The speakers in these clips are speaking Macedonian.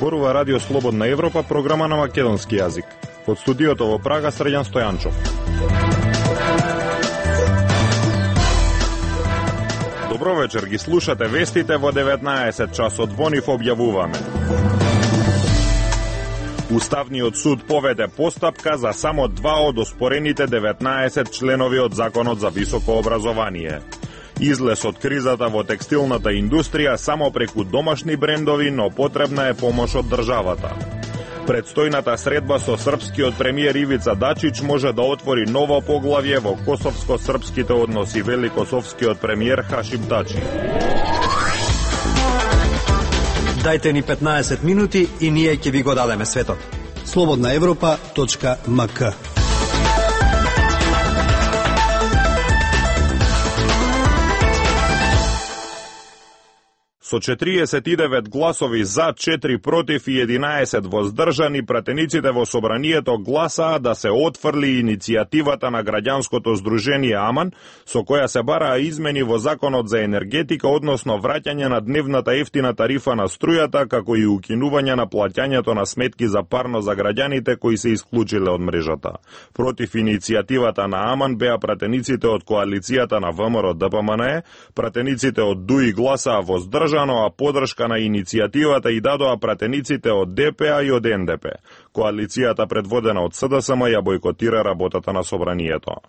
Зборува Радио Слободна Европа, програма на македонски јазик. Од студиото во Прага, Средјан Стојанчов. Добро вечер, ги слушате вестите во 19 часот. Во нив објавуваме. Уставниот суд поведе постапка за само 2 од оспорените 19 членови од Законот за високо образование. Излез од кризата во текстилната индустрија само преку домашни брендови, но потребна е помош од државата. Предстојната средба со српскиот премиер Ивица Дачич може да отвори ново поглавје во косовско-српските односи, вели косовскиот премиер Хашим Тачи. Дајте ни 15 минути и ние ќе ви го дадеме светот. slobodnaevropa.mk. Со 49 гласови за, 4 против и 11 воздржани, пратениците во собранието гласаа да се отфрли иницијативата на граѓанското здружение АМАН, со која се бараа измени во Законот за енергетика, односно враќање на дневната ефтина тарифа на струјата, како и укинување на плаќањето на сметки за парно за граѓаните кои се исклучиле од мрежата. Против иницијативата на АМАН беа пратениците од коалицијата на ВМРО ДПМНЕ, пратениците од ДУИ гласаа воздржани, а подршка на иницијативата и дадоа пратениците од ДПА и од НДП. Коалицијата предводена од СДСМ ја бойкотира работата на собранието.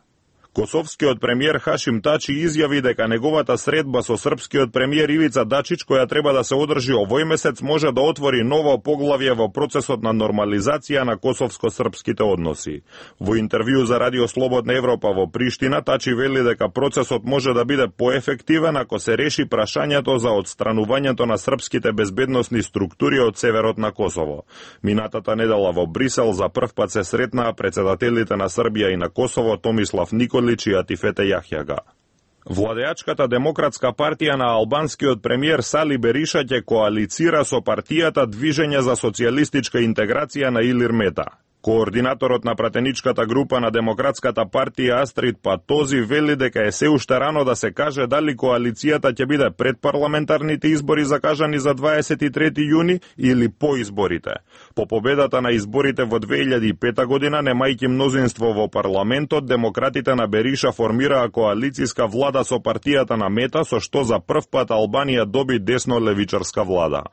Косовскиот премиер Хашим Тачи изјави дека неговата средба со српскиот премиер Ивица Дачич, која треба да се одржи овој месец, може да отвори ново поглавје во процесот на нормализација на косовско-српските односи. Во интервју за Радио Слободна Европа во Приштина, Тачи вели дека процесот може да биде поефективен ако се реши прашањето за отстранувањето на српските безбедносни структури од северот на Косово. Минатата недела во Брисел за прв пат се сретнаа председателите на Србија и на Косово Томислав Николич и Атифете Јахјага. Владеачката Демократска партија на албанскиот премиер Сали Бериша ќе коалицира со партијата Движење за социјалистичка интеграција на Илир Мета. Координаторот на пратеничката група на Демократската партија Астрид Патози вели дека е се уште рано да се каже дали коалицијата ќе биде пред парламентарните избори закажани за 23 јуни или по изборите. По победата на изборите во 2005 година, немајќи мнозинство во парламентот, демократите на Бериша формираа коалицијска влада со партијата на Мета, со што за прв пат Албанија доби десно-левичарска влада.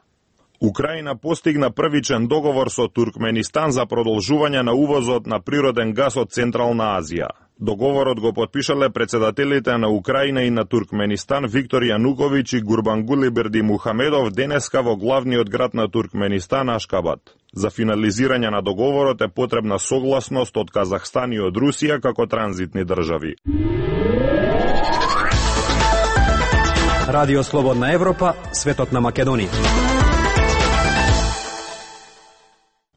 Украина постигна првичен договор со Туркменистан за продолжување на увозот на природен газ од Централна Азија. Договорот го потпишале председателите на Украина и на Туркменистан Виктор Јануковиќ и Гурбангули Бердимухамедов денеска во главниот град на Туркменистан Ашкабад. За финализирање на договорот е потребна согласност од Казахстан и од Русија како транзитни држави. Радио Слободна Европа, светот на Македонија.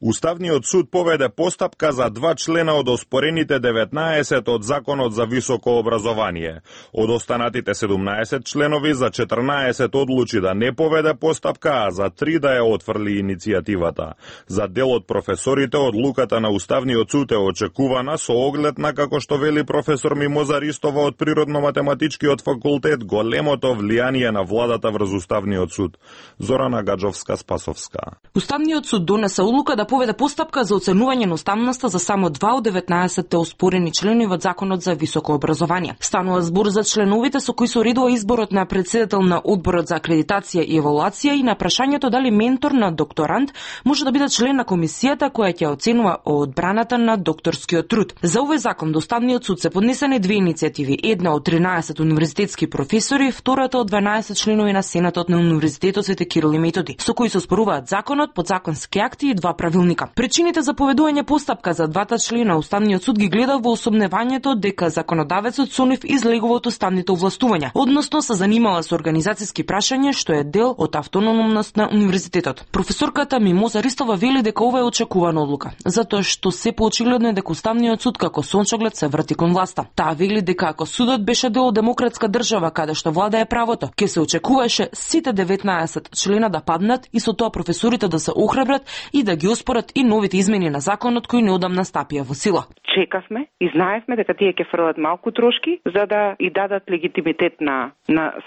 Уставниот суд поведе постапка за 2 члена од оспорените 19 од Законот за високо образование. Од останатите 17 членови за 14 одлучи да не поведе постапка, а за 3 да ја отфрли иницијативата. За дел од професорите одлуката на Уставниот суд е очекувана со оглед на, како што вели професор Мимоза Ристова од Природно-математичкиот факултет, големото влијание на владата врз Уставниот суд. Зорана Гаджовска-Спасовска. Уставниот суд донесе одлука да поведе постапка за оценување на уставноста за само 2 од 19 оспорени членови од Законот за високо образование. Станува збор за членовите со кои се уредува изборот на председател на Одборот за акредитација и евалуација и на прашањето дали ментор на докторант може да биде член на комисијата која ќе оценува одбраната на докторскиот труд. За овој закон до Уставниот суд се поднесени 2 иницијативи, една од 13 универзитетски професори, втората од 12 членови на Сенатот на Универзитетот Свети Кирил и Методи, со кои се оспоруваат законот, подзаконски акти и 2 правилника. Причините за поведување постапка за 2 члена Уставниот суд ги гледа во осомневањето дека законодавецот со нив излегува од уставните овластувања, односно се занимава со организацијски прашања што е дел од автономност на универзитетот. Професорката Мимоза Ристова вели дека ова е очекувана одлука, затоа што се поочигледно е дека Уставниот суд како сончоглед се врти кон власта. Таа вели дека ако судот беше дел од демократска држава каде што владае правото, ќе се очекуваше сите 19 члена да паднат и со тоа професорите да се охрабрат и да ги според и новите измени на законот кои неодамна стапија во сила. Чекавме и знаевме дека тие ќе фрлат малку трошки за да и дадат легитимитет на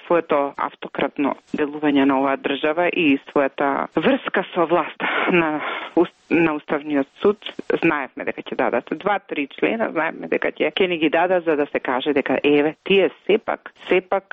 своето автократно делување на оваа држава и својата врска со власта на Уставниот суд. Знаевме дека ќе дадат 2-3 члена, знаевме дека ќе ни ги дадат за да се каже дека тие сепак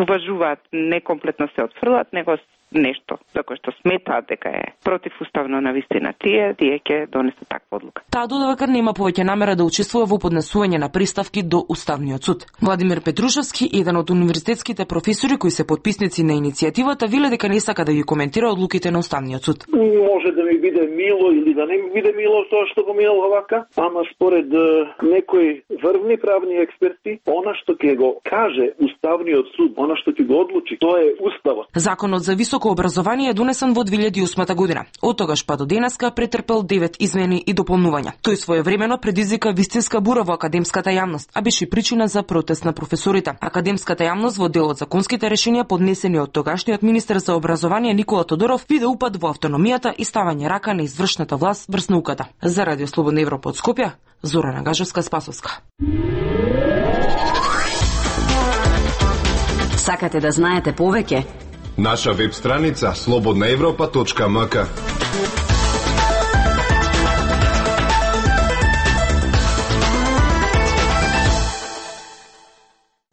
уважуваат, не комплетно се отфрлат, него нешто за кое што сметаат дека е противуставно на вистина тие ќе донесат таква одлука. Таа додава дека нема повеќе намера да учествува во поднесување на приставки до Уставниот суд. Владимир Петрушевски, еден од универзитетските професори кои се потписници на иницијативата, веле дека не сака да ги коментира одлуките на Уставниот суд. Може да ми биде мило или да не ми биде мило тоа што го минало вака, ама според некои врвни правни експерти, она што ќе го каже Уставниот суд, она што ќе го одлучи, тоа е уставот. Законот за високо образование е донесен во 2008 година. Од тогаш па до денеска претрпел 9 измени и дополнувања. Тој своевремено предизвика вистинска бура во академската јавност, а беше причина за протест на професорите. Академската јавност во дел од законските решенија поднесени од тогашниот министер за образование Никола Тодоров виде упад во автономијата и ставање рака на извршната власт врз науката. За Радио Слободна Европа од Скопје, Зорана Гажевска-Спасовска. Сакате да знаете повеќе? Наша веб страница slobodnaevropa.mk.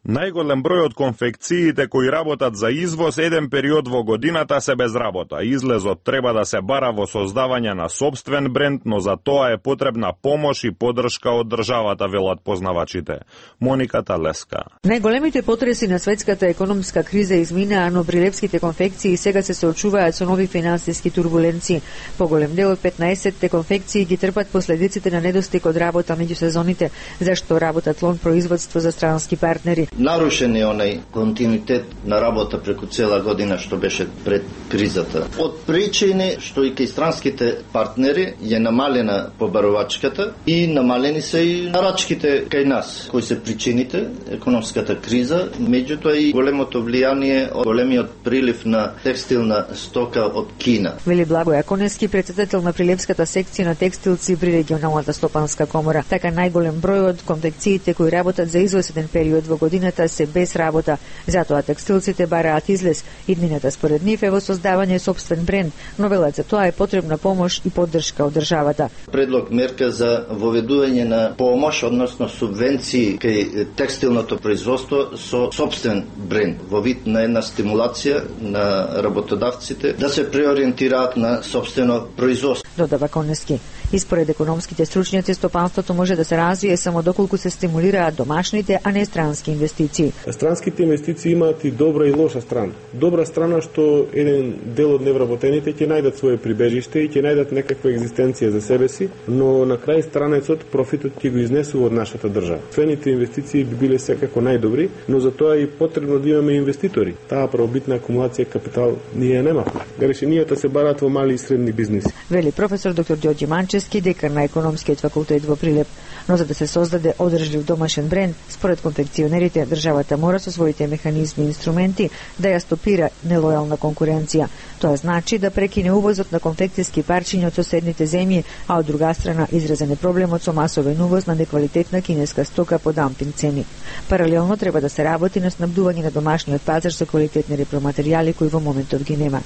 Најголем број од конфекциите кои работат за извоз еден период во годината се без работа. Излезот треба да се бара во создавање на сопствен бренд, но за тоа е потребна помош и поддршка од државата, велат познавачите. Моника Талеска. Најголемите потреси на светската економска криза изминаа, но прилепските конфекции сега се соочуваат со нови финансиски турбуленции. Поголем дел од 15-те конфекции ги трпат последиците на недостиг од работа меѓу сезоните, зашто работат лон производство за странски партнери. Нарушен е онај континуитет на работа преку цела година што беше пред кризата. Од причини што и кај странските партнери е намалена побарувачката и намалени се и нарачките кај нас. Кои се причините? Економската криза, меѓутоа и големото влијание од големиот прилив на текстилна стока од Кина. Вели Благоја Конески, претседател на прилепската секција на текстилци при регионалната стопанска комора. Така најголем број од конфекциите кои работат за извесен период во годината се без работа. Затоа текстилците бараат излез. Иднината според нив е во создавање сопствен бренд, но велат за тоа е потребна помош и поддршка од државата. Предлог мерка за воведување на помош, односно субвенции кај текстилното производство со сопствен бренд, во вид на една стимулација на работодавците да се преориентираат на сопствено производство. Додава Конески. И според економските стручњаци, стопанството може да се развие само доколку се стимулираат домашните, а не странски инвестиции. Странските инвестиции имаат и добра и лоша страна. Добра страна што еден дел од невработените ќе најдат свое прибежиште и ќе најдат некаква екзистенција за себе си, но на крај странецот профитот ќе го изнесува од нашата држава. Цените инвестиции би биле секако најдобри, но за тоа е потребно да имаме инвеститори. Таа правобитна акумулација капитал ние немаме. Решенијата се бараат во мали и средни бизниси. Вели професор доктор Ѓорѓе Манчевски, декан на економскиот факултет во Прилеп. Но за да се создаде одржлив домашен бренд, според конфекционерите, државата мора со своите механизми и инструменти да ја стопира нелојална конкуренција. Тоа значи да прекине увозот на конфекцијски парчиња од соседните земји, а од друга страна изразен е проблемот со масовен увоз на неквалитетна кинеска стока по дампинг цени. Паралелно треба да се работи на снабдување на домашниот пазар со квалитетни репроматеријали кои во моментов ги нема.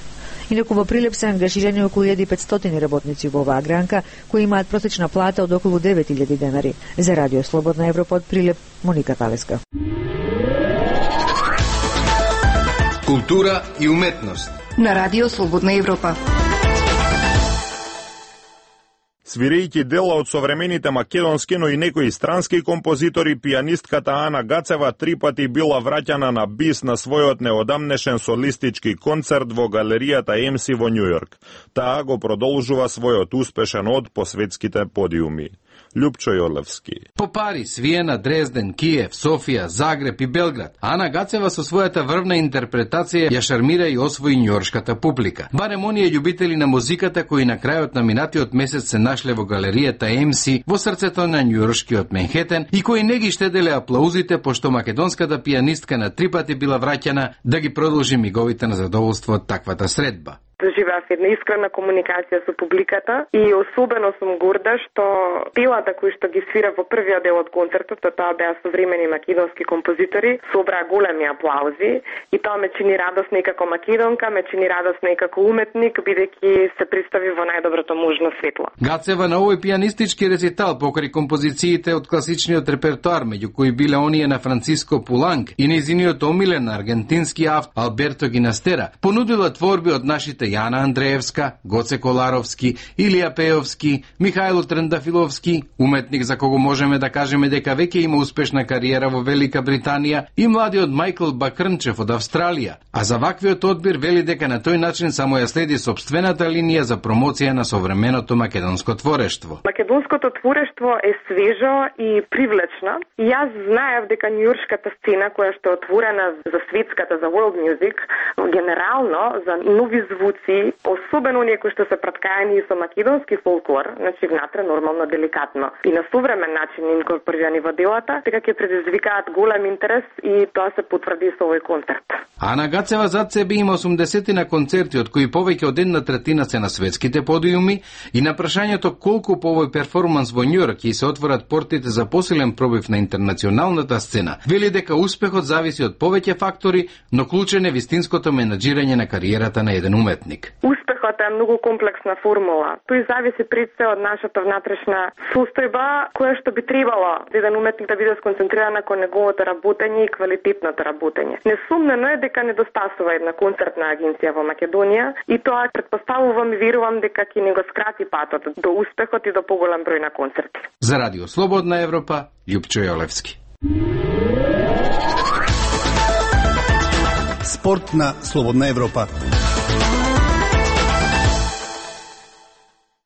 Инаку во Прилеп се ангажирани околу 1500 работници во оваа гранка, кои имаат просечна плата од околу 9000 денари. За Радио Слободна Европа од Прилеп, Моника Талеска. Култура и уметност на Радио Слободна Европа. Свирејќи дела од современите македонски, но и некои странски композитори, пијанистката Ана Гацева 3 пати била враќана на бис на својот неодамнешен солистички концерт во галеријата МС во Њујорк. Таа го продолжува својот успешен од по светските подиуми. Љупчо Јолевски. По Париз, Виена, Дрезден, Киев, Софија, Загреб и Белград, Ана Гацева со својата врвна интерпретација ја шармира и освои њујоршката публика. Барем оние љубители на музиката кои на крајот на минатиот месец се нашле во галеријата МС во срцето на њујоршкиот Менхетен и кои не ги штеделе аплаузите пошто македонската пијанистка на 3 пати била враќана да ги продолжи миговите на задоволство од таквата средба. живеав една искрена комуникација со публиката и особено сум горда што делата кои што ги свира во првиот дел од концертот, тоа беа современи македонски композитори, собраа големи аплаузи и тоа ме чини радосна и како македонка, ме чини радосна и како уметник, бидејќи се представи во најдоброто можно светло. Гацева на овој пианистички рецитал покрај композициите од класичниот репертоар, меѓу кои биле оние на Франциско Пуланг и нејзиниот омилен аргентински автор Алберто Гинастера, понудила творби од нашите Јана Андреевска, Гоце Коларовски, Илија Пеовски, Михајло Трендафиловски, уметник за кого можеме да кажеме дека веќе има успешна кариера во Велика Британија, и младиот Мајкл Бакрнчев од Австралија. А за ваквиот одбир вели дека на тој начин само ја следи собствената линија за промоција на современото македонско творештво. Македонското творештво е свежо и привлечно. И јас знаев дека њујоршката сцена која што е отворена за светската, за world music, генерално за нови звуци, особено оние кои што се праткаени со македонски фолклор, значи внатре нормално деликатно и на современ начин инкорпорирани во делата, дека ќе предизвикаат голем интерес и тоа се потврди со овој концерт. Ана Гацева зад себе има 80 на концерти, од кои повеќе од 1/3 се на светските подиуми, и на прашањето колку по овој перформанс во Њујорк ќе се отворат портите за посилен пробив на интернационалната сцена, вели дека успехот зависи од повеќе фактори, но клучен е вистинското менаџирање на кариерата на еден уметник. Успехот е многу комплексна формула. Тој зависи пред се од нашата внатрешна состојба, која што би требало еден уметник да биде сконцентриран кон неговото работење и квалитетното работење. Несумнено е дека недостасува една концертна агенција во Македонија и тоа претпоставувам и верувам дека ќе не го скрати патот до успехот и до поголем број на концерти. За Радио Слободна Европа, Љупчо Јолевски. Спорт на Слободна Европа.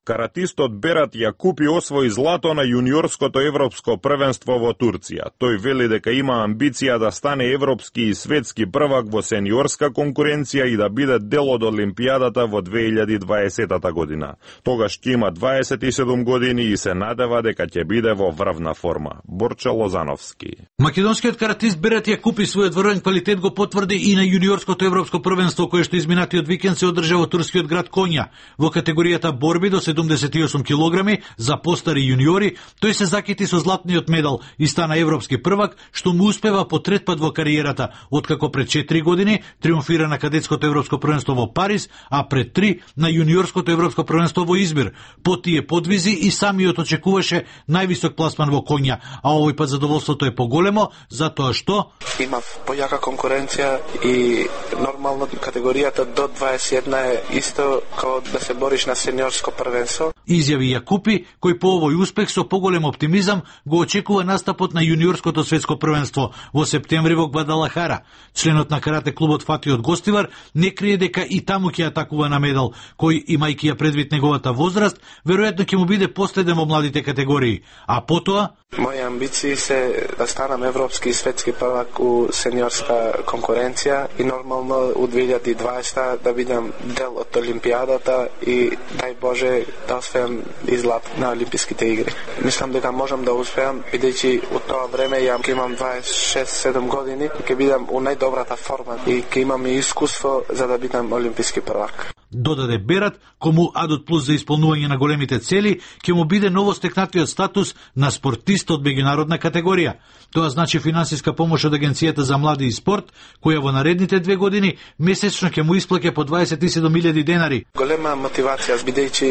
Каратистот Берат Јакупи освои злато на јуниорското европско првенство во Турција. Тој вели дека има амбиција да стане европски и светски првак во сениорска конкуренција и да биде дел од Олимпијадата во 2020 година. Тогаш ќе има 27 години и се надева дека ќе биде во врвна форма. Борче Лозановски. Македонскиот каратист Берат Јакупи својот врвен квалитет го потврди и на јуниорското европско првенство кое што изминатиот викенд се одржа во турскиот град Конја. Во категоријата борби до 78 килограми за постари јуниори, тој се закити со златниот медал и стана европски првак, што му успева по трет пат во кариерата, откако пред 4 години триумфира на кадетското европско првенство во Париз, а пред 3 на јуниорското европско првенство во Измир. По тие подвизи и самиот очекуваше највисок пласман во Конја, а овој пат задоволството е поголемо, затоа што има појака конкуренција и нормално категоријата до 21 е исто како да се бориш на сениорско првенство. Изјави Јакупи, кој по овој успех со поголем оптимизам го очекува настапот на јуниорското светско првенство во септември во Гвадалахара. Членот на карате клубот Фатиот Гостивар не крие дека и таму ќе атакува на медал, кој, имајќи ја предвид неговата возраст, веројатно ќе му биде последен во младите категории. А потоа мои амбиции се да станам европски и светски првак у сениорска конкуренција и нормално у 2020 да бидам дел од Олимпијадата и дај Боже да успеам излап на Олимписките игри. Мислам дека можам да успеам, бидејќи од тоа време ја ќе имам 26-7 години, ќе бидам у најдобрата форма и ќе имам и искуство за да бидам олимписки првак. Додаде Берат, кому Адот Плюс за исполнување на големите цели, ќе му биде новостекнатиот статус на спортист од меѓународна категорија. Тоа значи финансиска помош од Агенцијата за млади и спорт, која во наредните 2 години месечно ќе му исплаќа по 27.000 денари. Голема мотивација, бидејќи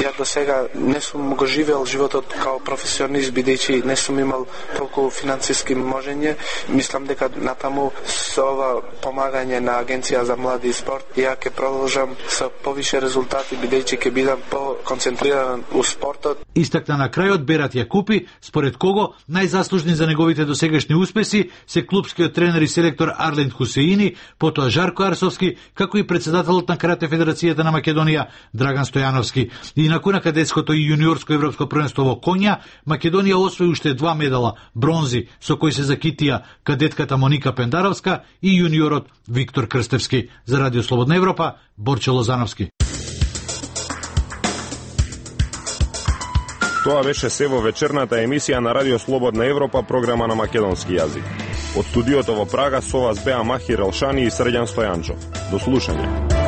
ја до сега не сум го живеел животот као професионист, бидејќи не сум имал толку финансиски можење. Мислам дека натаму со ова помагање на Агенција за млади и спорт, ја ќе продолжам со повише резултати, бидејќи ќе бидам по-концентриран у спортот. Истакна на крајот Берат Јакупи, според кого најзаслужни за неговите досегашни успеси се клубскиот тренер и селектор Арлен Хусеини, потоа Жарко Арсовски, како и председателот на Карате Федерацијата на Македонија Драган Стојановски. Инаку на кадетското и јуниорско европско првенство во Конја, Македонија освои уште 2 медала, бронзи, со кои се закитија кадетката Моника Пендаровска и јуниорот Виктор Крстевски. За Радио Слободна Европа, Борче Лозановски. Тоа беше се во вечерната емисија на Радио Слободна Европа, програма на македонски јазик. Од студиото во Прага со вас беа Махир Елшани и Срđan Стојанчов. До слушање.